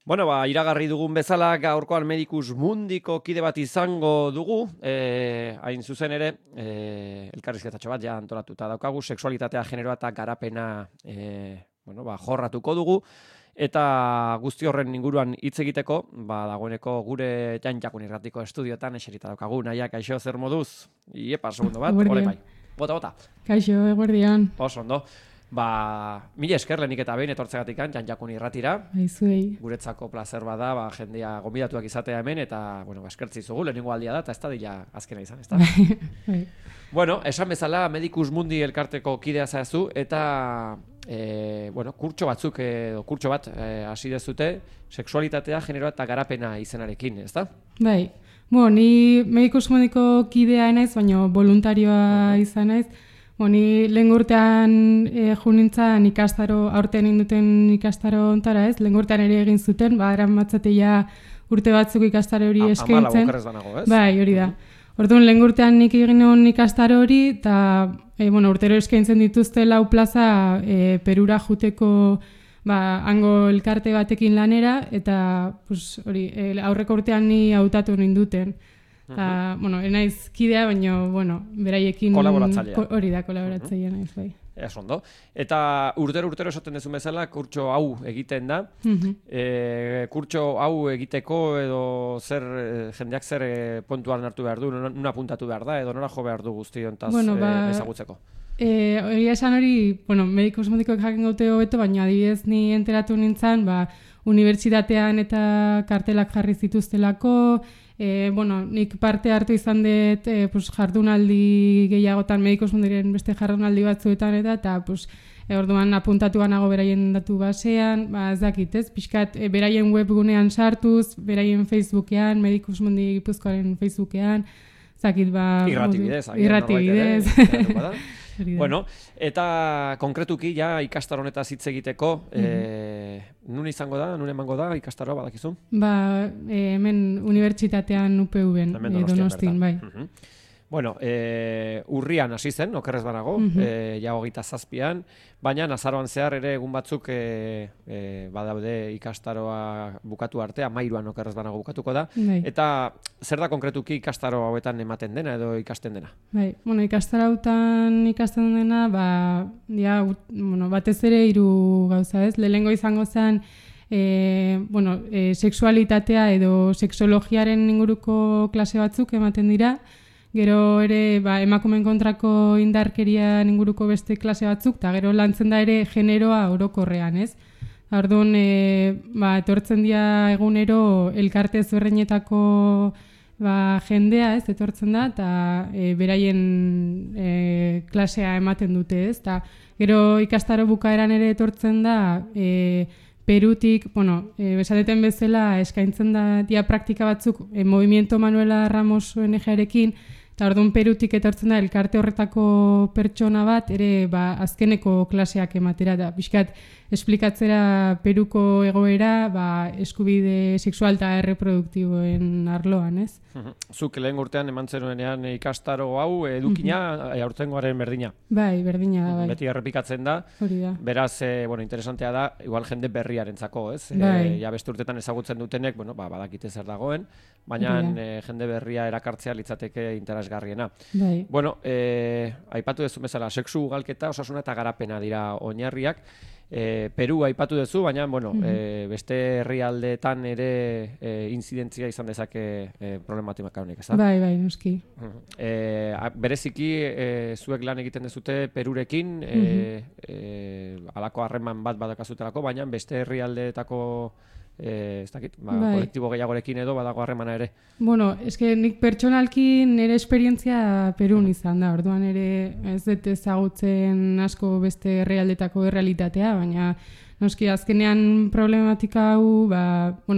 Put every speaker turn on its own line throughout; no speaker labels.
Bueno, iragarri dugun bezala gaurkoan Medicus Mundiko kide bat izango dugu, hain zuzen ere, elkarrizketatxo bat ja antolatuta daukagu, sexualitatea, generoa eta garapena jorratuko dugu, eta guzti horren inguruan hitz egiteko, dagoeneko gure Janjakun Irratiko estudioetan eserita daukagu. Naia, kaixo, zer moduz? Iepa, segundo bat, hori bai. Bota.
Kaixo, eguerdian.
Oso ondo. Mila esker lehenik eta behin etortzegatik Janjakun Irratira.
Aizuei.
Guretzako placer bada, jendea gonbidatuak izatea hemen, eta, eskertzi zugu, lehenengo aldia da, eta ez da dira azkena izan, ez da?
Bai.
Bueno, esan bezala, Medicus Mundi elkarteko kidea zazu, eta, kurtso bat hasi dezute, sexualitatea, generoa eta garapena izenarekin, ez da?
Bai. Ni Medicus Mundiko kidea naiz, baina voluntarioa izan naiz. Ni lehen urtean junintzan ikastaro, aurten induten ikastaro ontara ez, lehen urtean ere egin zuten, eran matzateia urte batzuk ikastaro hori eskaintzen.
14 okerrez banago, ez?
Bai, hori da. Orduan, lehen urtean nik egin nuen ikastaro hori, eta urtero eskaintzen dituzte 4 plaza Perura juteko hango elkarte batekin lanera, eta aurreko urtean ni hautatu ninduten. Enaiz kidea, baina, beraiekin...
Kolaboratzailea.
Hori da, kolaboratzailea naiz, bai.
Ez ondo. Eta urtero esaten dezun bezala, kurtso hau egiten da. Kurtso hau egiteko edo jendeak zer puntuan hartu behar du, nuna puntatu behar da, edo nora jo behar du guztiontaz ezagutzeko.
Egia esan hori, Medicus Mundikoek jakin gaute hobeto, baina adibidez ni enteratu nintzen, unibertsitatean eta kartelak jarri zituztelako, nik parte hartu izan dut jardunaldi gehiagotan, Medicus Mundiren beste jardunaldi batzuetan eta orduan apuntatu nago beraien datu basean, ez dakit, ez? Pixkat, beraien webgunean sartuz, beraien Facebookean, Medicus Mundi Gipuzkoaren Facebookean, ez dakit,
irratibidez. Bueno, eta konkretuki ja ikastaro honetaz hitz egiteko, nun izango da, nun emango da ikastaroa badakizu?
Hemen unibertsitatean UPV-en, Donostian, bai.
Bueno, urrian hasi zen, okerrez banago, ja 27an, baina azaroan zehar ere egun batzuk badaude ikastaroa bukatu arte, 13an okerrez banago bukatuko da, eta zer da konkretuki ikastaro hauetan ematen dena edo ikasten dena?
Bai, ikastaro hauetan ikasten dena, batez ere 3 gauza ez, lehenengo izango zen, sexualitatea edo sexologiaren inguruko klase batzuk ematen dira, gero ere emakumeen kontrako indarkeria inguruko beste klase batzuk, eta gero lantzen da ere generoa orokorrean, ez? Orduan, etortzen dira egunero elkarte ezberdinetako jendea, ez, etortzen da, eta beraien klasea ematen dute, ez? Eta gero ikastaro bukaeran ere etortzen da, Perutik, besateten bezala eskaintzen da dia praktika batzuk Movimiento Manuela Ramos ONG-arekin, eta orduan Perutik etortzen da elkarte horretako pertsona bat, ere azkeneko klaseak ematera, da pixkat esplikatzera Peruko egoera eskubide sexual eta erreproduktiboen arloan, ez?
Zuk lehen urtean eman zenuenean ikastaro hau edukina aurtengoaren berdina.
Bai, berdina da, bai.
Beti errepikatzen da.
Hori da.
Beraz, interesantea da, igual jende berriarentzako, ez? Ja beste urtetan ezagutzen dutenek, badakite zer dagoen, baina jende berria erakartzea litzateke interesgarriena.
Bai.
Bueno, aipatu duzu bezala, sexu ugalketa, osasuna eta garapena dira oinarriak. Peru aipatu duzu, baina beste herrialdeetan ere inzidentzia izan dezake problematika honek, ez da?
Bai, noski.
Bereziki, zuek lan egiten dezute Perurekin, halako harreman bat badakazutelako, baina beste herrialdeetako kolektibo gehiagorekin edo badago harremana ere.
Nik pertsonalki nire esperientzia Perun izan da, orduan ere ez dut ezagutzen asko beste herrialdetako errealitatea, baina noski azkenean problematika hau,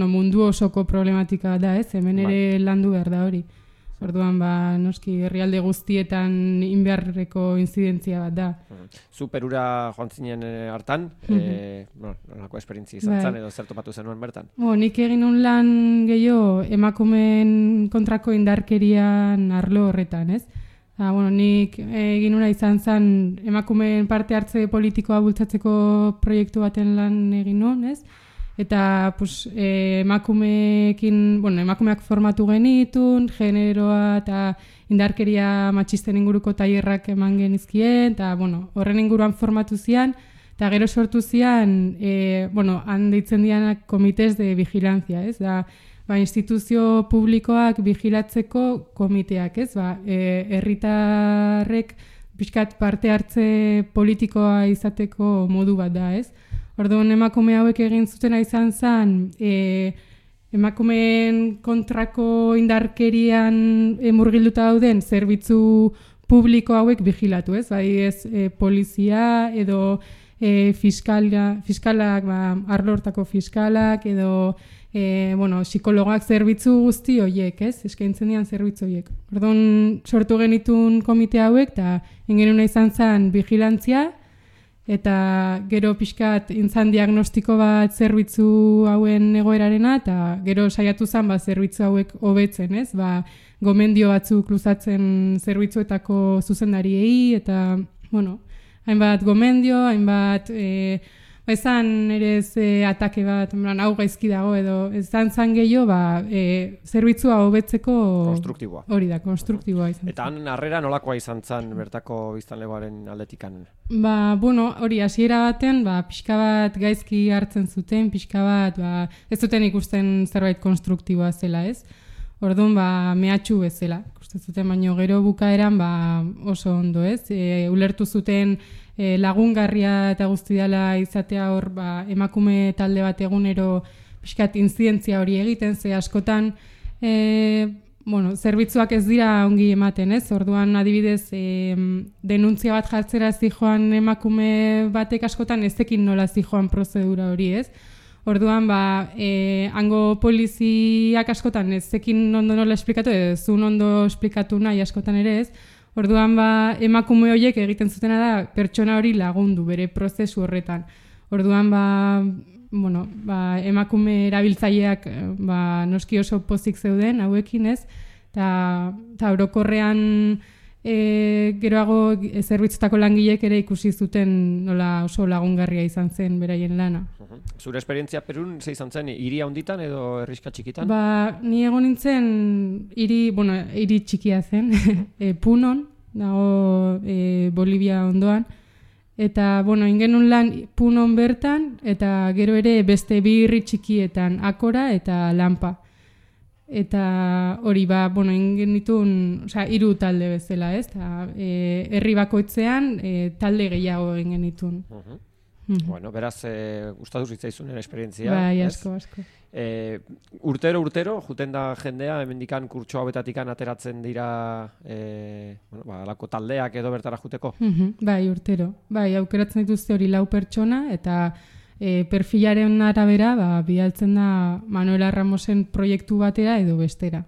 mundu osoko problematika da, ez? Hemen ere landu behar da hori. Orduan, noski herrialde guztietan inbeharreko inzidentzia bat da.
Zu Perura joan zinen hartan, nolako esperientzia izan zen edo zer topatu zenuen bertan?
Nik egin un lan gehiago emakumeen kontrako indarkerian arlo horretan, ez? Nik egin una izan zen emakumeen parte hartze politikoa bultzatzeko proiektu baten lan egin nuen, ez? Eta pues, emakumeak formatu genitun, generoa eta indarkeria matxisten inguruko tailerrak eman genizkien, eta horren inguruan formatu zian, eta gero sortu zian, han deitzen dianak komites de vigilancia, ez? Instituzio publikoak vigilatzeko komiteak, ez? Herritarrek pixkat parte hartze politikoa izateko modu bat da, ez? Orduan emakume hauek egin zutena izan zen, emakumeen kontrako indarkerian murgilduta dauden zerbitzu publiko hauek vigilatu, ez? Polizia edo fiskalak, arlo hortako fiskalak edo psikologak zerbitzu guzti horiek, ez? Eskaintzen dian zerbitzu horiek. Orduan sortu genitun komite hauek eta ingenuna izan zen vigilantzia, eta gero pixkat intzan diagnostiko bat zerbitzu hauen egoerarena, eta gero saiatu zen zerbitzu hauek hobetzen, ez? Gomendio batzuk luzatzen zerbitzuetako zuzendariei, eta, hainbat gomendio, hainbat, ezan ere atake bat, hau gaizki dago edo, ezan zan gehiago, zerbitzua hobetzeko...
Konstruktiboa.
Hori da, konstruktiboa izan.
Eta han harrera nolakoa izan zan bertako biztanlegoaren aldetikan?
Hori, hasiera baten, pixka bat gaizki hartzen zuten, pixka bat, ez zuten ikusten zerbait konstruktiboa zela, ez? Orduan, mehatxu bezala. Ikusten zuten, baino gero bukaeran, oso ondo, ez? Ulertu zuten lagungarria eta guzti dela izatea hor, emakume talde bat egunero pixkat inzidentzia hori egiten, ze askotan, zerbitzuak ez dira ongi ematen, ez? Orduan, adibidez, denuntzia bat jartzera zijoan emakume batek askotan ezekin nola zijoan prozedura hori, ez? Orduan, hango poliziak askotan ezekin ondo nola esplikatu, ez zun ondo esplikatu nahi askotan ere, ez? Orduan, emakume horiek egiten zutena da pertsona hori lagundu bere prozesu horretan. Orduan, emakume erabiltzaileak noski oso pozik zeuden hauekin, ez? Eta orokorrean geroago zerbitzutako langilek ere ikusi zuten nola oso lagungarria izan zen beraien lana.
Zure esperientzia Perun ze izan zen, hiria honditan edo herrixka txikitan?
Ni egon nintzen hiri txikia zen, Punon, dago Bolivia ondoan, eta ingenun lan Punon bertan, eta gero ere beste bi herri txikietan, Akora eta Lampa. Eta hori ingen ditun, hiru talde bezala, ez? Herri bakoitzean talde gehiago egin genitun.
Beraz, gustatu zitzaizun esperientzia.
Bai, asko.
Urtero, juten da jendea, hemendikan kurtso hauetatikan ateratzen dira alako taldeak edo bertara juteko?
Bai, urtero. Bai, aukeratzen dituzte hori 4 pertsona, eta perfilaren arabera bidaltzen da Manuela Ramosen proiektu batera edo bestera.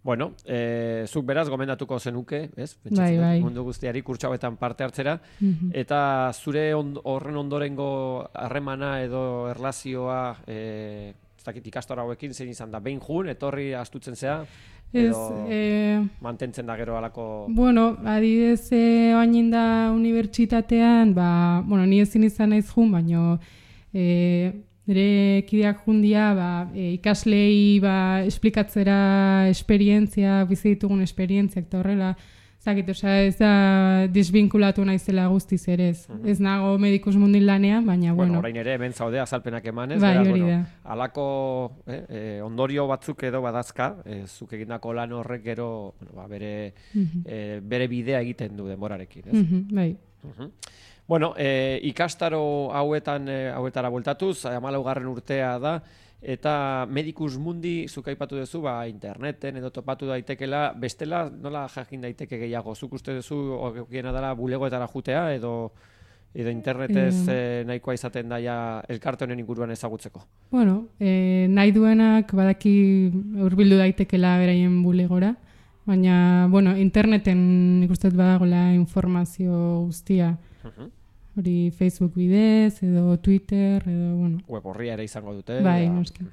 Zuk beraz gomendatuko zenuke, ez?
Bai.
Mundu guztiari kurtso hauetan parte hartzera, eta zure horren ondorengo harremana edo erlazioa ikastora hauekin zein izan da, behin jun, etorri astutzen zea, edo mantentzen da gero alako...
Adibidez, oain da unibertsitatean, ni ezin izan naiz jun, baino nire kideak jundia ikaslei esplikatzera esperientzia, bizi ditugun esperientziak eta horrela, ez da desbinkulatu naizela guztiz ere, ez nago Medicus Mundi lanean, baina
orain ere hemen zaude azalpenak emanez, alako ondorio batzuk edo badazka, zuk egindako lan horrek gero bere bidea egiten du denborarekin, ez?
Bai.
Ikastaro hauetara bueltatuz, 14. urtea da, eta Medicus Mundi, zuk aipatu duzu, interneten edo topatu daitekela, bestela nola jakin daiteke gehiago? Zuk uste duzu, okiena dela bulegoetara jutea, edo internetez nahikoa izaten daia elkarte honen inguruan ezagutzeko?
Nahi duenak badaki hurbildu daitekela beraien bulegora, baina, interneten ikusten badagoela informazio guztia. Hori Facebook bidez, edo Twitter, edo,
Web horria ere izango dute.
Bai, noski.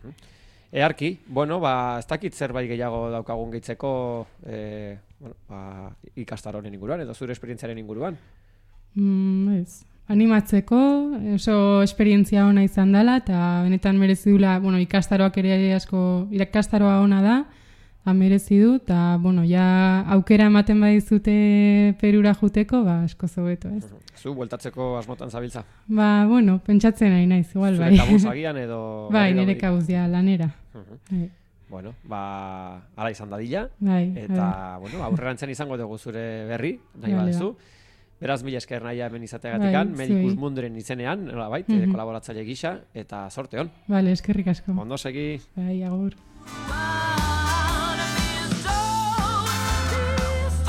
Earki, ez dakit zerbait gehiago daukagun gehitzeko ikastaronen inguruan, edo zure esperientziaren inguruan?
Ez. animatzeko, oso esperientzia ona izan dela, eta benetan merezi dula, ikastaroak ere asko, ikastaroa ona da, merezi du, eta, ja aukera ematen badizute Perura juteko, asko zobeto, ez?
Zu, bueltatzeko asmotan zabiltza?
Pentsatzen nahi naiz, igual, bai.
Zure kabuz agian edo...
Bai, nire kabuz, lanera.
Bueno, ala izan dadila,
eta,
aurrerantzen izango dugu zure berri, nahi baduzu. Beraz, mila esker nahia hemen izateagatikan, Medicus Munduren izenean, kolaboratzaile gisa, eta sorte hon.
Bale, eskerrik asko.
Ondo segi.
Bai, agur.